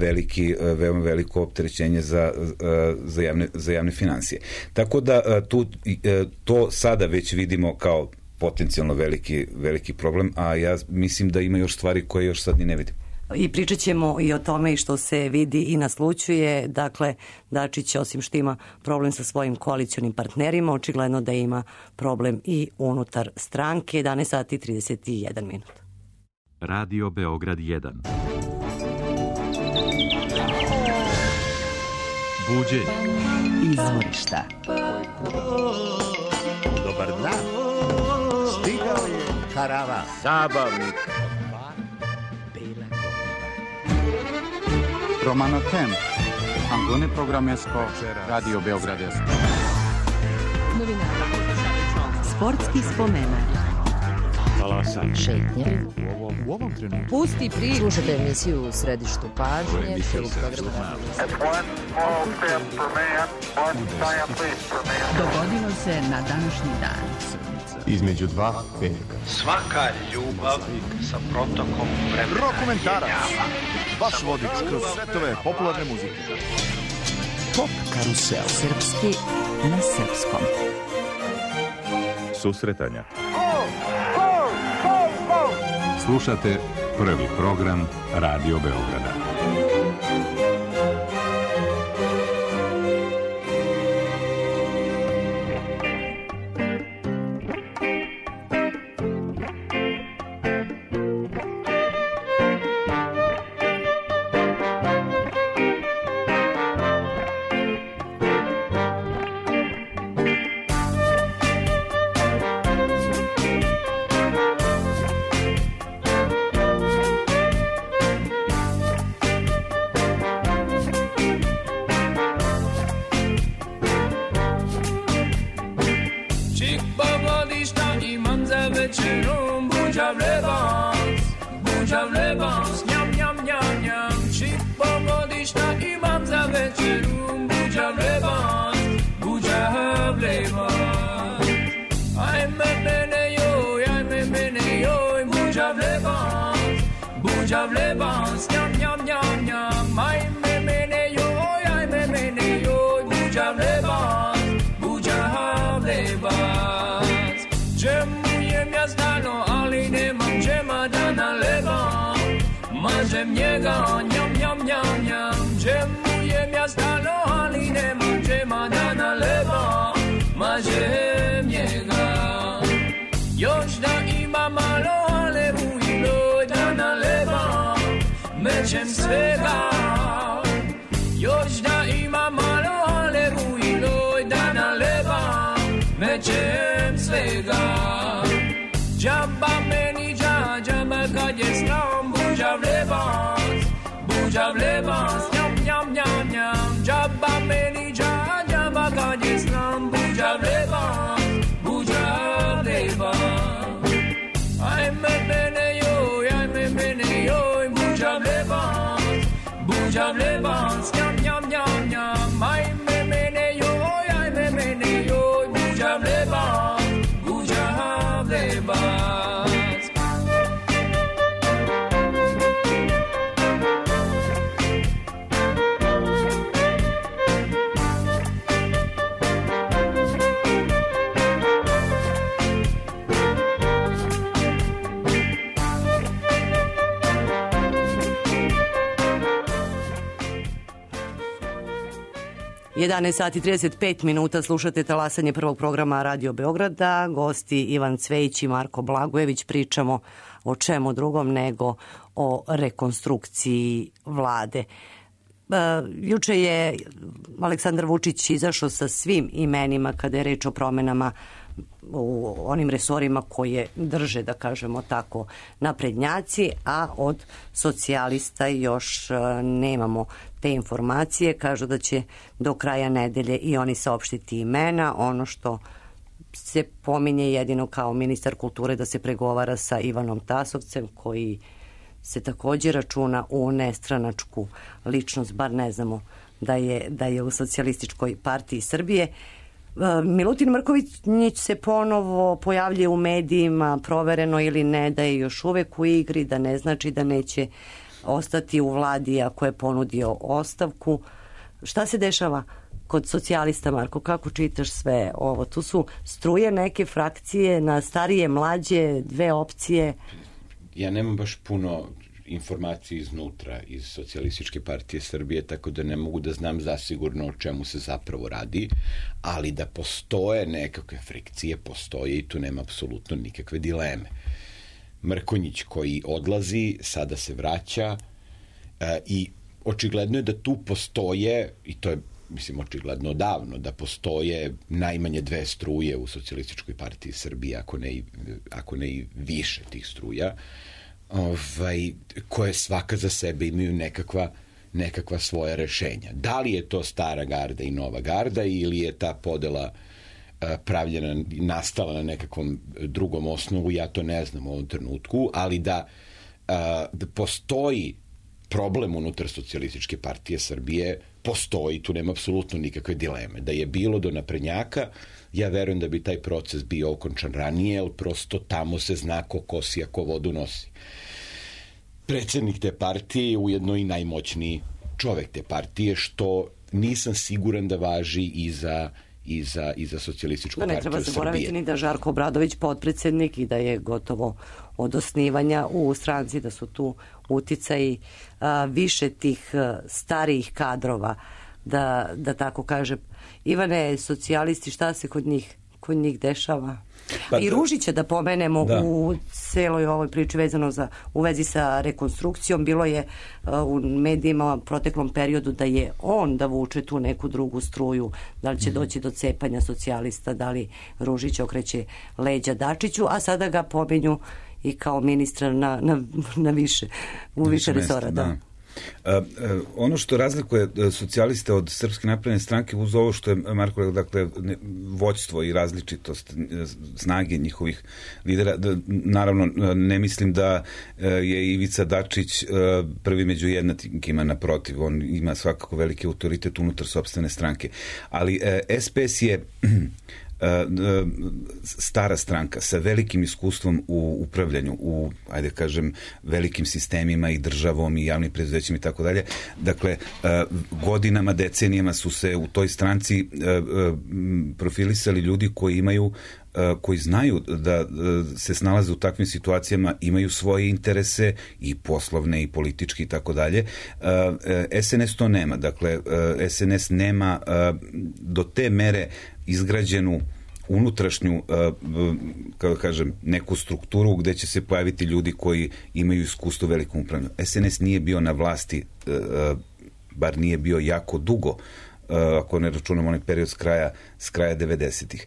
Speaker 6: veliko opterećenje za javne finansije. Tako da to sada već vidimo kao potencijalno veliki problem, a ja mislim da ima još stvari koje još sad ni ne vidim.
Speaker 5: I pričat ćemo i o tome i što se vidi i naslućuje. Dakle, Dačić, osim što ima problem sa svojim koalicionim partnerima, očigledno da ima problem i unutar stranke. 11 sati 31 minut.
Speaker 1: Radio Beograd 1. Buđenje.
Speaker 2: Izvorišta.
Speaker 4: Dobar dan. Stigao je karavan. Zabavnik.
Speaker 8: Romano Tem, Angone Programesko, Radio Beogradesko.
Speaker 2: Sportski spomenak.
Speaker 1: Talasanje.
Speaker 2: Šetnje.
Speaker 3: U ovom trenutku.
Speaker 2: Pusti priču. Slušajte emisiju u središtu pažnje. Dogodilo se na današnji dan.
Speaker 4: Između dva petka.
Speaker 9: Svaka ljubav sa protokom vremena.
Speaker 4: Rokomentarac. Vaš vodič kroz svetove popularne muzike.
Speaker 2: Pop karusel. Srpski na srpskom.
Speaker 10: Susretanja. Slušate prvi program Radio Beograda.
Speaker 11: Mažem njega, njam, njam, njam, njam. Džemujem ja stano, ali nemam džema da naleba. Mažem njega. Još da ima malo, ale ujloj da naleba. Mećem svega. Još da ima malo, ale ujloj da naleba. Mećem svega. Džaba meni džaba kad je snom. Buđav lebans, njam, njam, njam, njam. Džaba meni džaba kad je snom. Buđav lebans, Bujam lebans, nyam nyam nyam nyam. Ay me mene yo, ay me mene yo. Bujam lebans, bujam lebans.
Speaker 5: Sati 35 minuta, slušate talasanje prvog programa Radio Beograda. Gosti Ivan Cvejić i Marko Blagojević. Pričamo o čemu drugom nego o rekonstrukciji vlade. Juče je Aleksandar Vučić izašao sa svim imenima kada je reč o promenama u onim resorima koje drže, da kažemo tako, naprednjaci, a od socijalista još nemamo te informacije. Kažu da će do kraja nedelje i oni saopštiti imena. Ono što se pominje jedino kao ministar kulture da se pregovara sa Ivanom Tasovcem, koji se također računa u nestranačku ličnost, bar ne znamo da je u Socijalističkoj partiji Srbije. Milutin Mrković se ponovo pojavljuje u medijima, provereno ili ne, da je još uvek u igri, da ne znači da neće ostati u vladi ako je ponudio ostavku. Šta se dešava kod socijalista, Marko? Kako čitaš sve ovo? Tu su struje neke frakcije na starije, mlađe, dve opcije.
Speaker 7: Ja nemam baš puno informacije iznutra iz Socijalističke partije Srbije, tako da ne mogu da znam zasigurno o čemu se zapravo radi, ali da postoje nekakve frikcije, postoje i tu nema apsolutno nikakve dileme. Mrkonjić koji odlazi, sada se vraća i očigledno je da tu postoje, i to je mislim očigledno odavno, da postoje najmanje dve struje u Socijalističkoj partiji Srbije, ako ne i više tih struja, koje svaka za sebe imaju nekakva svoja rešenja. Da li je to stara garda i nova garda ili je ta podela pravljena, nastala na nekakvom drugom osnovu, ja to ne znam u ovom trenutku, ali da postoji problem unutar Socijalističke partije Srbije, postoji, tu nema apsolutno nikakve dileme. Da je bilo do naprednjaka, ja verujem da bi taj proces bio okončan ranije, ali prosto tamo se zna ko kosi, a ko vodu nosi. Predsednik te partije je ujedno i najmoćniji čovek te partije, što nisam siguran da važi i za Socijalističku partiju Srbije.
Speaker 5: Ne treba zaboraviti ni da Žarko Obradović potpredsednik i da je gotovo od osnivanja u stranci, da su tu uticaji više tih starijih kadrova, da tako kažem. Ivane, socijalisti, šta se kod njih dešava? I Ružića da pomenemo u celoj ovoj priči vezano u vezi sa rekonstrukcijom. Bilo je u medijima u proteklom periodu da je on da vuče tu neku drugu struju, da li će doći do cepanja socijalista, da li Ružić okreće leđa Dačiću, a sada ga pomenju i kao ministra u više resora. Da.
Speaker 6: Ono što razlikuje socijaliste od Srpske napredne stranke uz ovo što je Marko rekao, dakle vođstvo i različitost snage njihovih lidera, naravno ne mislim da je Ivica Dačić prvi među jednakima, naprotiv, on ima svakako veliki autoritet unutar sopstvene stranke, ali SPS je stara stranka sa velikim iskustvom u upravljanju, u, ajde kažem, velikim sistemima i državom i javnim preduzećima i tako dalje. Dakle, godinama, decenijama su se u toj stranci profilisali ljudi koji znaju da se snalaze u takvim situacijama, imaju svoje interese i poslovne i politički i tako dalje. SNS to nema. Dakle, SNS nema do te mere izgrađenu unutrašnju, kako kažem, neku strukturu gde će se pojaviti ljudi koji imaju iskustvo u velikom upravljanju. SNS nije bio na vlasti, bar nije bio jako dugo, ako ne računamo onaj period s kraja 90-ih.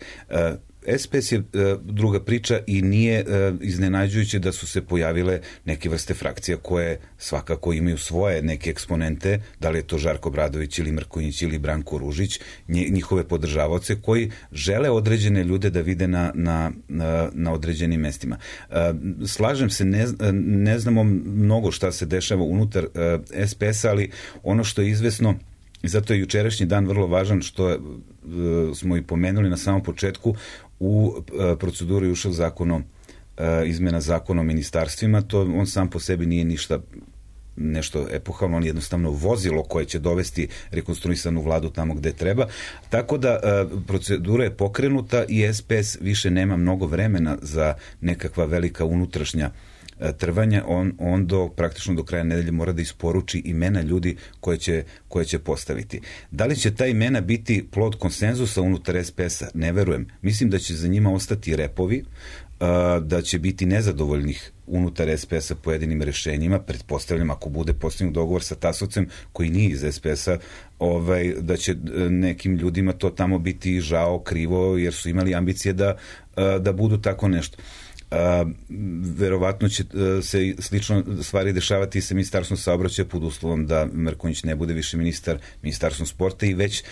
Speaker 6: SPS je druga priča i nije iznenađujuće da su se pojavile neke vrste frakcija koje svakako imaju svoje neke eksponente, da li je to Žarko Obradović ili Mrkonjić ili Branko Ružić, njihove podržavaoce koji žele određene ljude da vide na određenim mestima. Slažem se, ne znamo mnogo šta se dešava unutar SPS-a, ali ono što je izvesno, i zato je jučerašnji dan vrlo važan, što smo i pomenuli na samom početku, u proceduru je ušao izmena zakona o ministarstvima, to on sam po sebi nije nešto epohalno, on je jednostavno vozilo koje će dovesti rekonstruisanu vladu tamo gde treba. Tako da procedura je pokrenuta i SPS više nema mnogo vremena za nekakva velika unutrašnja trvanja, on praktično do kraja nedelje mora da isporuči imena ljudi koje će postaviti. Da li će ta imena biti plod konsenzusa unutar SPS-a? Ne verujem. Mislim da će za njima ostati repovi, da će biti nezadovoljnih unutar SPS-a pojedinim rešenjima, pretpostavljam ako bude postignut dogovor sa Tasovcem koji nije iz SPS-a, da će nekim ljudima to tamo biti žao, krivo, jer su imali ambicije da budu tako nešto. Verovatno će se slično stvari dešavati sa ministarstvom saobraćaja pod uslovom da Mrkonjić ne bude više ministarstvom sporta i već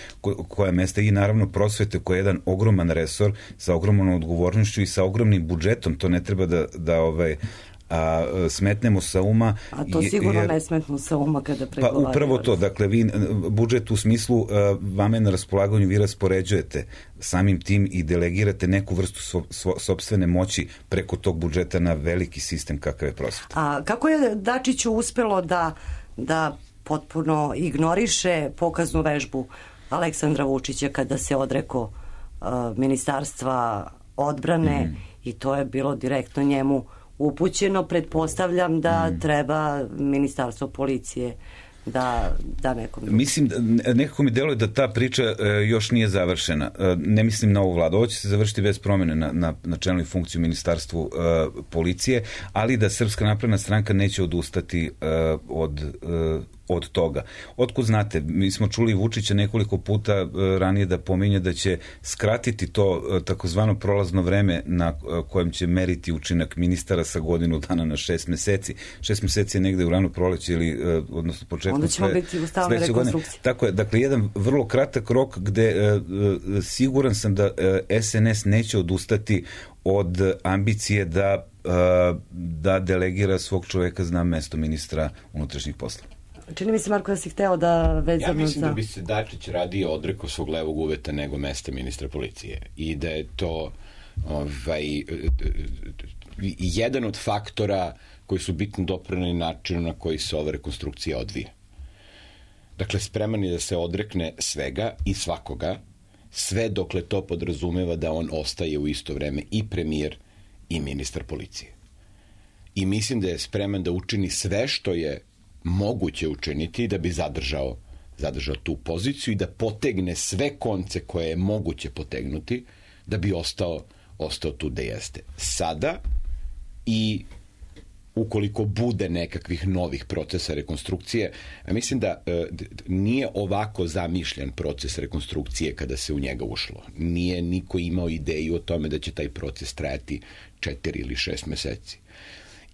Speaker 6: koja mesta i naravno prosvete koja je jedan ogroman resor sa ogromnom odgovornošću i sa ogromnim budžetom, to ne treba da smetnemo sa uma.
Speaker 5: A to sigurno ne smetnu sa uma kada pregovaraju.
Speaker 6: Pa upravo to, dakle vi budžet u smislu vama je na raspolaganju, vi raspoređujete samim tim i delegirate neku vrstu sopstvene moći preko tog budžeta na veliki sistem kakav je prosveta.
Speaker 5: A kako je Dačiću uspelo da potpuno ignoriše pokaznu vežbu Aleksandra Vučića kada se odrekao ministarstva odbrane i to je bilo direktno njemu upućeno, pretpostavljam da treba ministarstvo policije da nekom...
Speaker 6: Mislim, nekako mi deluje da ta priča još nije završena. Ne mislim na ovu vladu. Ovo će se završiti bez promene na čelnoj funkciji u ministarstvu policije, ali da Srpska napredna stranka neće odustati od toga. Otkud znate, mi smo čuli Vučića nekoliko puta ranije da pominje da će skratiti to takozvano prolazno vreme na kojem će meriti učinak ministara sa godinu dana na 6 meseci. 6 meseci je negde u rano proleće ili odnosno početku
Speaker 5: onda ćemo biti u stalnoj rekonstrukciji.
Speaker 6: Tako je, dakle jedan vrlo kratak rok gde siguran sam da SNS neće odustati od ambicije da delegira svog čoveka na mesto ministra unutrašnjih poslova.
Speaker 5: Čini mi se, Marko, da si hteo da vezano za...
Speaker 7: Ja mislim da bi se Dačić radije odrekao svog levog uveta nego mesta ministra policije. I da je to jedan od faktora koji su bitno doprineli načinu na koji se ova rekonstrukcija odvija. Dakle, spreman je da se odrekne svega i svakoga, sve dokle to podrazumeva da on ostaje u isto vreme i premijer i ministar policije. I mislim da je spreman da učini sve što je moguće učiniti da bi zadržao tu poziciju i da potegne sve konce koje je moguće potegnuti da bi ostao tu gde jeste. Sada i ukoliko bude nekakvih novih procesa rekonstrukcije, mislim da nije ovako zamišljen proces rekonstrukcije kada se u njega ušlo. Nije niko imao ideju o tome da će taj proces trajati 4 ili 6 meseci.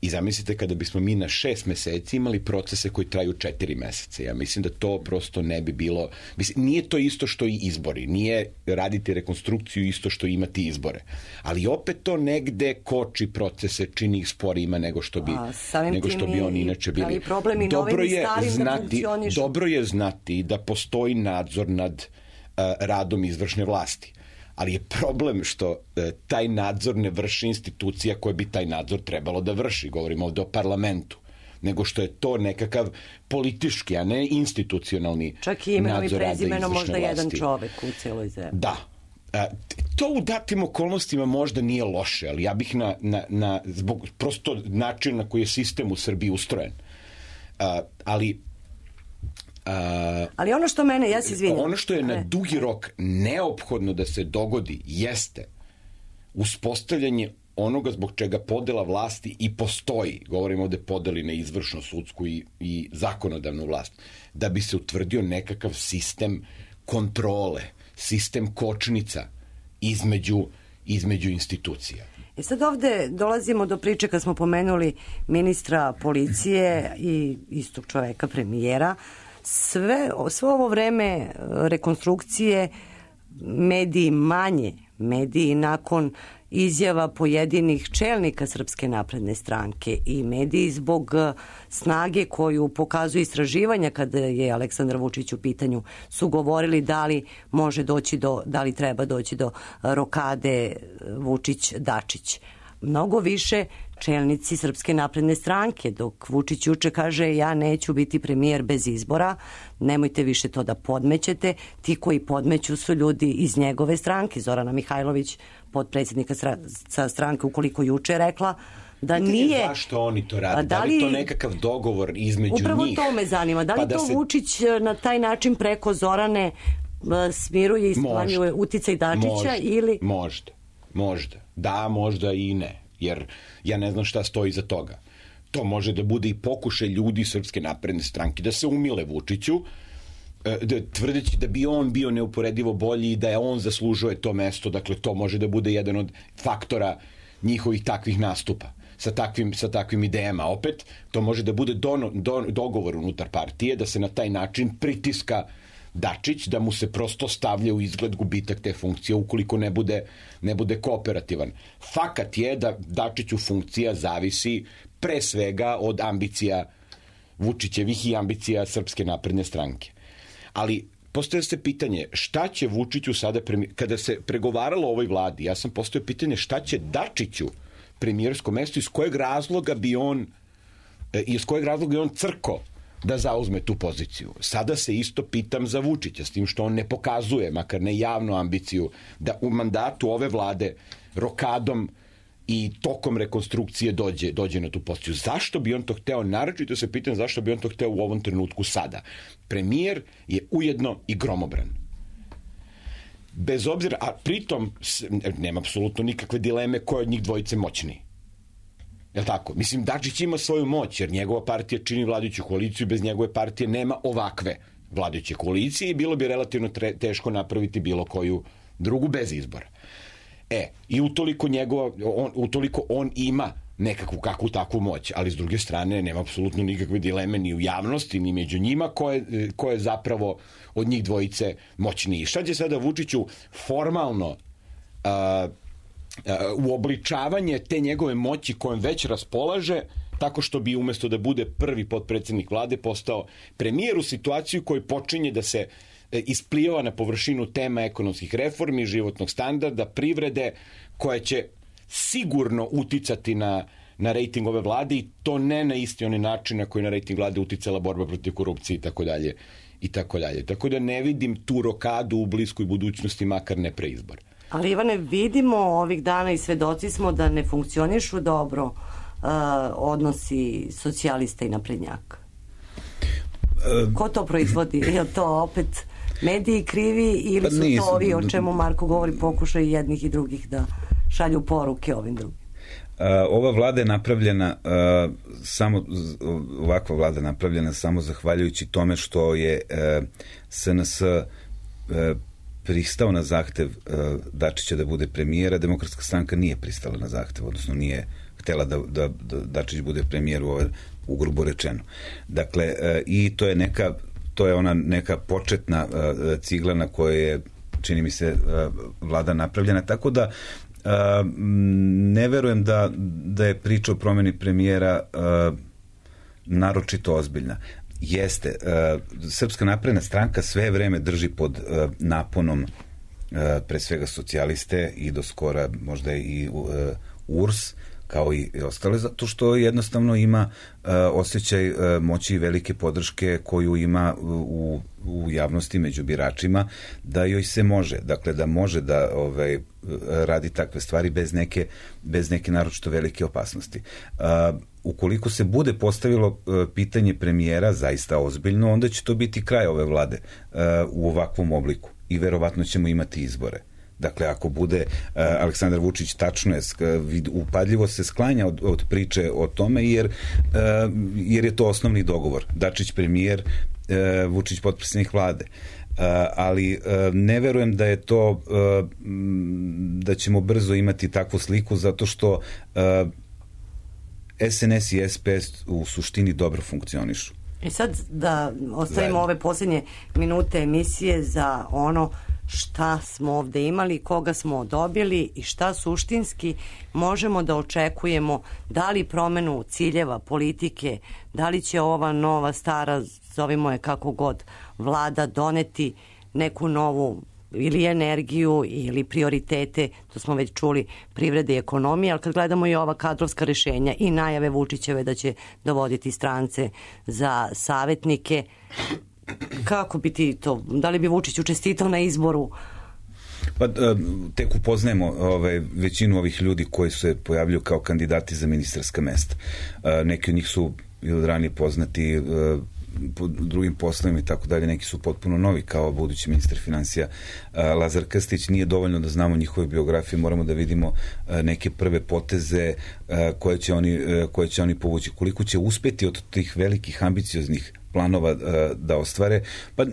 Speaker 7: I zamislite kada bismo mi na 6 meseci imali procese koji traju 4 meseca. Ja mislim da to prosto ne bi bilo... Mislim, nije to isto što i izbori. Nije raditi rekonstrukciju isto što imati izbore. Ali opet to negde koči procese, čini ih sporijima nego što bi oni inače bili. Dobro je znati da postoji nadzor nad radom izvršne vlasti. Ali je problem što taj nadzor ne vrši institucija koja bi taj nadzor trebalo da vrši. Govorimo ovde o parlamentu. Nego što je to nekakav politički, a ne institucionalni nadzor rada izvršne vlasti.
Speaker 5: Čak i imenom i prezimenom možda jedan čovek u celoj zemlji.
Speaker 7: Da. To u datim okolnostima možda nije loše, ali ja bih zbog prosto načina na koji je sistem u Srbiji ustrojen.
Speaker 5: Ali ono što mene, ja se izvinjam.
Speaker 7: Ono što je na dugi rok neophodno da se dogodi jeste uspostavljanje onoga zbog čega podela vlasti i postoji. Govorimo ovde podeli na izvršnu, sudsku i zakonodavnu vlast. Da bi se utvrdio nekakav sistem kontrole, sistem kočnica između institucija.
Speaker 5: I sad ovde dolazimo do priče kad smo pomenuli ministra policije i istog čoveka, premijera. Sve ovo vreme rekonstrukcije mediji nakon izjava pojedinih čelnika Srpske napredne stranke i mediji zbog snage koju pokazuju istraživanja kada je Aleksandar Vučić u pitanju su govorili da li treba doći do rokade Vučić-Dačić. Mnogo više čelnici Srpske napredne stranke, dok Vučić juče kaže ja neću biti premijer bez izbora, nemojte više to da podmećete. Ti koji podmeću su ljudi iz njegove stranke. Zorana Mihajlović, potpredsjednika stranke, ukoliko juče rekla da nije...
Speaker 7: Zašto oni to rade? Da li to nekakav dogovor između njih?
Speaker 5: Upravo to me zanima. Da li to Vučić na taj način preko Zorane smiruje i sklanjuje uticaj Dačića ili...
Speaker 7: Možda. Da, možda i ne. Jer ja ne znam šta stoji iza toga. To može da bude i pokušaj ljudi Srpske napredne stranke da se umile Vučiću, tvrdeći da bi on bio neuporedivo bolji i da je on zaslužuje to mesto. Dakle, to može da bude jedan od faktora njihovih takvih nastupa sa takvim idejama. Opet, to može da bude dogovor unutar partije, da se na taj način pritiska Dačić, da mu se prosto stavlja u izgled gubitak te funkcije ukoliko ne bude kooperativan. Fakat je da Dačiću funkcija zavisi pre svega od ambicija Vučićevih i ambicija Srpske napredne stranke. Ali postavlja se pitanje šta će Vučiću sada, kada se pregovaralo o ovoj vladi, ja sam postavio pitanje šta će Dačiću premijersko mesto, iz kojeg razloga bi on crko da zauzme tu poziciju. Sada se isto pitam za Vučića, s tim što on ne pokazuje, makar ne javnu ambiciju, da u mandatu ove vlade rokadom i tokom rekonstrukcije dođe na tu poziciju. Zašto bi on to hteo? Naročito se pitam zašto bi on to hteo u ovom trenutku sada. Premijer je ujedno i gromobran. Bez obzira, a pritom nema apsolutno nikakve dileme ko je od njih dvojice moćniji. Jel' tako? Mislim, Dačić ima svoju moć, jer njegova partija čini vladajuću koaliciju i bez njegove partije nema ovakve vladajuće koalicije i bilo bi relativno teško napraviti bilo koju drugu bez izbora. I utoliko on ima nekakvu kakvu takvu moć, ali s druge strane nema apsolutno nikakve dileme ni u javnosti, ni među njima ko je zapravo od njih dvojice moćniji. Šta će sada Vučiću formalno uobličavanje te njegove moći kojom već raspolaže, tako što bi umesto da bude prvi potpredsjednik vlade postao premijer u situaciju koji počinje da se isplivava na površinu tema ekonomskih reformi, životnog standarda, privrede, koja će sigurno uticati na rejting ove vlade i to ne na isti onaj način na koji na rejting vlade uticala borba protiv korupcije i tako dalje. Tako da ne vidim tu rokadu u bliskoj budućnosti, makar ne pre izbora.
Speaker 5: Ali Ivane, vidimo ovih dana i svedoci smo da ne funkcionišu dobro odnosi socijalista i naprednjaka. Ko to proizvodi? Je to opet mediji krivi ili su to ovi o čemu Marko govori pokušaj jednih i drugih da šalju poruke ovim drugim?
Speaker 6: Ova vlada je napravljena ovakva vlada napravljena samo zahvaljujući tome što je SNS pristao na zahtev Dačića da bude premijera. Demokratska stranka nije pristala na zahtev, odnosno nije htela da Dačić bude premijer, ugrubo rečeno. Dakle, i to je ona neka početna cigla na kojoj je, čini mi se, vlada napravljena, tako da ne verujem da je priča o promjeni premijera naročito ozbiljna. Jeste, Srpska napredna stranka sve vreme drži pod naponom pre svega socijaliste i do skora možda i URS, kao i ostale, zato što jednostavno ima osjećaj moći i velike podrške koju ima u javnosti među biračima, da joj se može, dakle da može da radi takve stvari bez neke naročito velike opasnosti. Ukoliko se bude postavilo pitanje premijera zaista ozbiljno, onda će to biti kraj ove vlade u ovakvom obliku i verovatno ćemo imati izbore. Dakle, ako bude Aleksandar Vučić, tačno je, upadljivo se sklanja od priče o tome, jer je to osnovni dogovor. Dačić premijer, Vučić potpredsjednik vlade. ali ne verujem da je to, da ćemo brzo imati takvu sliku, zato što SNS i SPS u suštini dobro funkcionišu.
Speaker 5: I sad da ostavimo ove posljednje minute emisije za ono šta smo ovde imali, koga smo dobili i šta suštinski možemo da očekujemo, da li promenu ciljeva politike, da li će ova nova, stara, zovimo je kako god, vlada doneti neku novu ili energiju ili prioritete, to smo već čuli, privrede i ekonomije, ali kad gledamo i ova kadrovska rešenja i najave Vučićeve da će dovoditi strance za savetnike, kako bi ti to, da li bi Vučić učestitao na izboru?
Speaker 6: Pa tek upoznajemo većinu ovih ljudi koji se pojavljuju kao kandidati za ministarska mesta. Neki od njih su od ranije poznati po drugim poslovima i tako dalje, neki su potpuno novi, kao budući ministar financija Lazar Krstić. Nije dovoljno da znamo njihove biografije, moramo da vidimo neke prve poteze koje će oni povući, koliko će uspeti od tih velikih ambicioznih planova da ostvare. Pa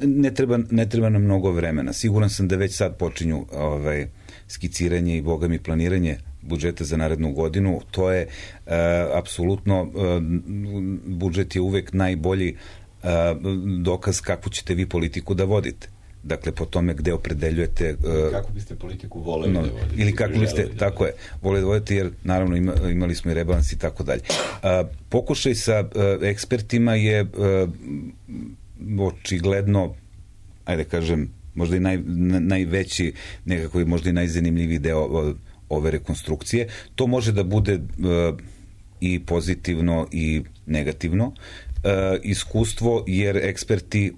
Speaker 6: ne treba nam mnogo vremena. Siguran sam da već sad počinju skiciranje i bogami planiranje budžeta za narednu godinu. To je apsolutno, budžet je uvek najbolji dokaz kakvu ćete vi politiku da vodite. Dakle, po tome gde opredeljujete...
Speaker 7: Kako biste politiku voleli da vodite?
Speaker 6: Ili kako biste, tako je, voleli da vodite, jer naravno imali smo i rebalans i tako dalje. Pokušaj sa ekspertima je očigledno, ajde kažem, možda i najveći, nekako možda i najzanimljiviji deo ove rekonstrukcije. To može da bude i pozitivno i negativno iskustvo, jer eksperti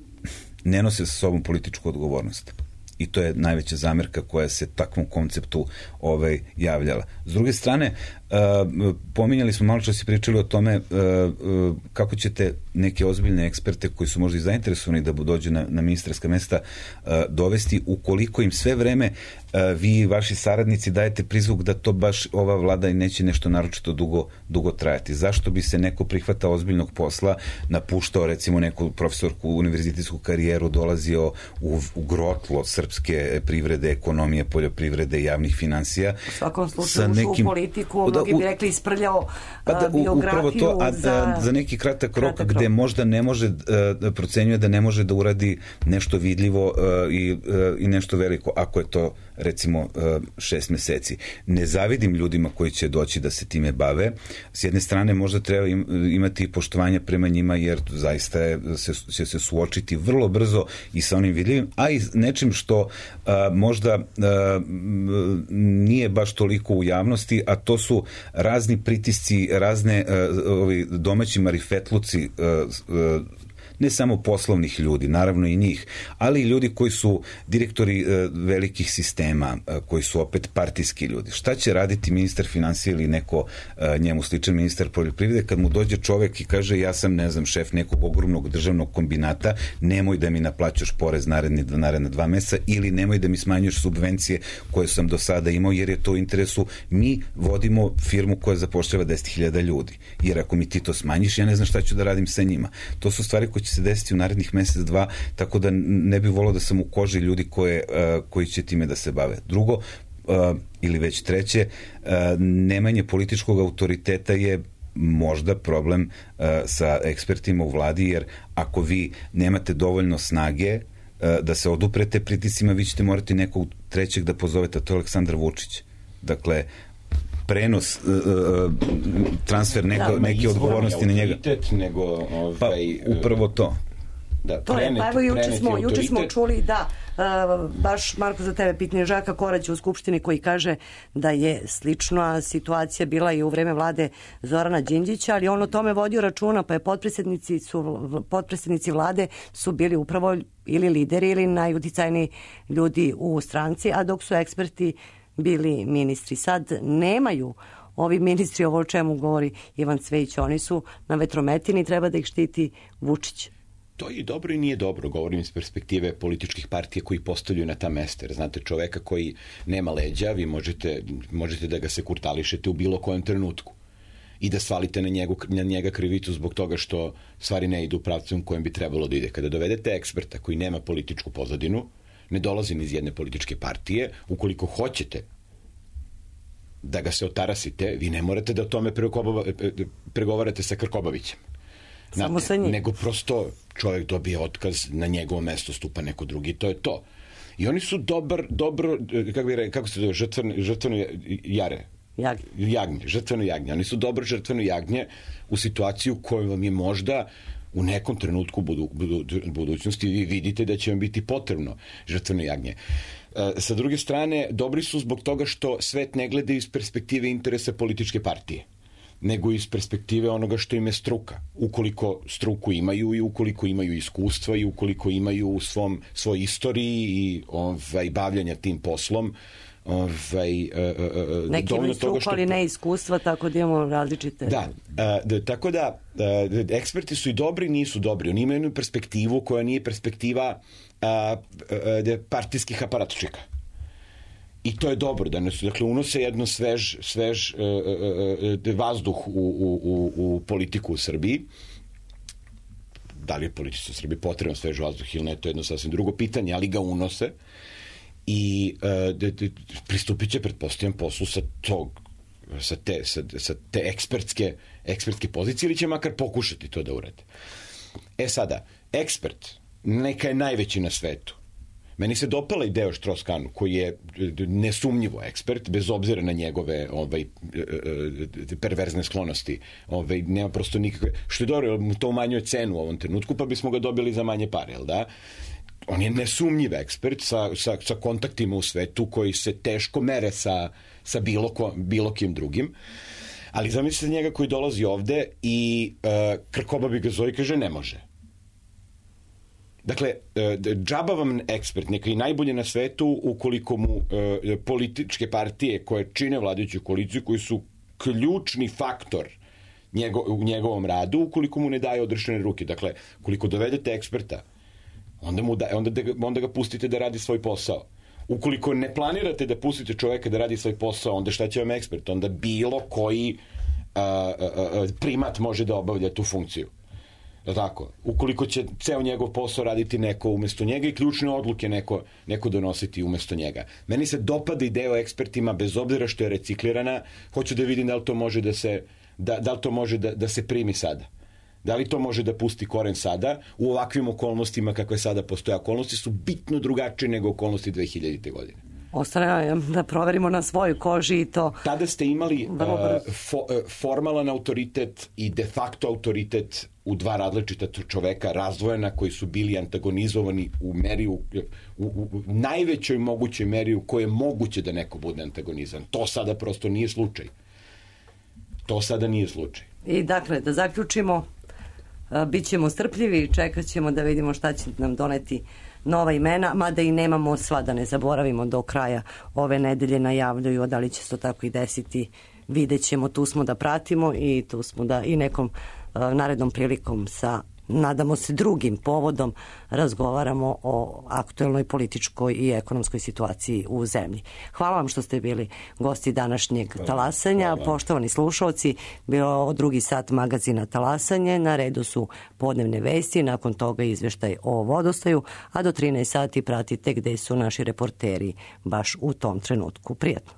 Speaker 6: ne nose sa sobom političku odgovornost. I to je najveća zamerka koja se takvom konceptu javljala. S druge strane, pominjali smo, malo čas i pričali o tome kako ćete neke ozbiljne eksperte koji su možda i zainteresovani da dođu na ministarska mesta dovesti, ukoliko im sve vreme vi i vaši saradnici dajete prizvuk da to baš ova vlada i neće nešto naročito dugo trajati. Zašto bi se neko prihvatao ozbiljnog posla, napuštao recimo neku profesorku univerzitetsku karijeru, dolazio u grotlo srpske privrede, ekonomije, poljoprivrede, javnih finansija.
Speaker 5: U svakom slučaju ušao u politiku, mnogi bi rekli isprljao biografiju
Speaker 6: za neki kratak rok gde možda ne može, procenjuje da ne može da uradi nešto vidljivo i nešto veliko, ako je to recimo 6 meseci. Ne zavidim ljudima koji će doći da se time bave. S jedne strane možda treba imati poštovanja prema njima, jer zaista će se suočiti vrlo brzo i sa onim vidljivim, a i nečim što možda nije baš toliko u javnosti, a to su razni pritisci, razne domaći marifetluci, ne samo poslovnih ljudi, naravno i njih, ali i ljudi koji su direktori velikih sistema, koji su opet partijski ljudi. Šta će raditi ministar financija ili neko njemu sličan ministar poljoprivrede kad mu dođe čovek i kaže ja sam, ne znam, šef nekog ogromnog državnog kombinata, nemoj da mi naplaćaš porez naredna 2 meseca ili nemoj da mi smanjuješ subvencije koje sam do sada imao, jer je to u interesu. Mi vodimo firmu koja zapošljava 10.000 ljudi. Jer ako mi ti to smanjiš, ja ne znam šta ću da radim sa njima. To su stvari koje će se desiti u narednih mesec, 2, tako da ne bih volao da sam u koži ljudi koji će time da se bave. Drugo, ili već treće, nemanje političkog autoriteta je možda problem sa ekspertima u vladi, jer ako vi nemate dovoljno snage da se oduprete pritiscima, vi ćete morati nekog trećeg da pozovete, a to je Aleksandar Vučić. Dakle, prenos, transfer neke odgovornosti na njega. Pa, upravo to.
Speaker 5: To je, pa evo juče smo čuli da baš Marko za tebe pitanje Žaka Koraća u Skupštini koji kaže da je slična situacija bila i u vreme vlade Zorana Đinđića, ali on o tome vodio računa, pa je potpredsednici vlade su bili upravo ili lideri ili najuticajniji ljudi u stranci, a dok su eksperti bili ministri. Sad nemaju ovi ministri, ovo o čemu govori Ivan Cvejić, oni su na vetrometini, treba da ih štiti Vučić.
Speaker 7: To je dobro i nije dobro, govorim iz perspektive političkih partija koji postavljaju na ta mesta. Jer znate, čoveka koji nema leđa, vi možete da ga se kurtališete u bilo kojem trenutku. i da svalite na njega krivicu zbog toga što stvari ne idu u pravcu u kojem bi trebalo da ide. Kada dovedete eksperta koji nema političku pozadinu, ne dolazi ni iz jedne političke partije, ukoliko hoćete da ga se otarasite, vi ne morate da o tome pregovarate sa Krkobabićem.
Speaker 5: Samo sa njim.
Speaker 7: Nego prosto čovjek dobije otkaz, na njegovo mesto stupa neko drugi, to je to. I oni su dobro, kako se zove, žrtveno jare. Žrtveno jagnje. Oni su dobro žrtveno jagnje u situaciju koju vam je možda u nekom trenutku budućnosti vi vidite da će vam biti potrebno žrtveno jagnje. Sa druge strane, dobri su zbog toga što svet ne gleda iz perspektive interesa političke partije, nego iz perspektive onoga što im je struka. Ukoliko struku imaju i ukoliko imaju iskustva i ukoliko imaju u svoj istoriji i bavljanja tim poslom,
Speaker 5: neki imaju struku, ali ne iskustva, tako da imamo različite...
Speaker 7: Tako da eksperti su i dobri, nisu dobri. Oni imaju jednu perspektivu koja nije perspektiva partijskih aparatčika. I to je dobro, dakle, unose jedno svež vazduh u politiku u Srbiji. Da li je politici u Srbiji potrebno svež vazduh ili ne, to je jedno sasvim drugo pitanje, ali ga unose i pristupit će, pretpostavljam, poslu sa te ekspertske pozicije, ili će makar pokušati to da urade. Sada, ekspert neka je najveći na svetu. Meni se dopala ideja o Strauss-Kahnu, koji je nesumnjivo ekspert, bez obzira na njegove perverzne sklonosti. Nema prosto nikakve... Što je dobro, mu to umanjuje cenu u ovom trenutku, pa bismo ga dobili za manje pare, jel da? On je nesumnjiv ekspert sa kontaktima u svetu koji se teško mere sa bilo kim drugim. Ali zamislite njega koji dolazi ovde i Krkobabi ga zove i kaže ne može. Dakle, džaba vam ekspert, neka i najbolje na svetu, ukoliko mu političke partije koje čine vladajuću koaliciju, koji su ključni faktor u njegovom radu, ukoliko mu ne daje odrešene ruke. Dakle, ukoliko dovedete eksperta, onda ga pustite da radi svoj posao. Ukoliko ne planirate da pustite čoveka da radi svoj posao, onda šta će vam ekspert? Onda bilo koji primat može da obavlja tu funkciju. Tako, ukoliko će ceo njegov posao raditi neko umesto njega i ključne odluke neko donositi umesto njega. Meni se dopada ideja o ekspertima, bez obzira što je reciklirana, hoću da vidim da li to može da se primi sada. Da li to može da pusti koren sada u ovakvim okolnostima kakve sada postoje. Okolnosti su bitno drugačije nego okolnosti 2000. godine.
Speaker 5: Ostane da proverimo na svojoj koži i to...
Speaker 7: Tada ste imali formalan autoritet i de facto autoritet u dva različita čoveka, razdvojena, koji su bili antagonizovani u najvećoj mogućoj meri u kojoj je moguće da neko bude antagonizan. To sada prosto nije slučaj. I
Speaker 5: dakle, da zaključimo, bit ćemo strpljivi i čekat ćemo da vidimo šta će nam doneti nova imena, mada i nemamo sva, da ne zaboravimo, do kraja ove nedelje najavljuju, da li će se to tako i desiti, vidjet ćemo, tu smo da pratimo i tu smo da i nekom narednom prilikom sa, nadamo se, drugim povodom razgovaramo o aktuelnoj političkoj i ekonomskoj situaciji u zemlji. Hvala vam što ste bili gosti današnjeg talasanja. Poštovani slušalci, bilo drugi sat magazina Talasanje, na redu su podnevne vesti, nakon toga izveštaj o vodostaju, a do 13 sati pratite gde su naši reporteri baš u tom trenutku. Prijatno.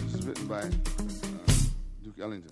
Speaker 12: This is written by Duke Ellington.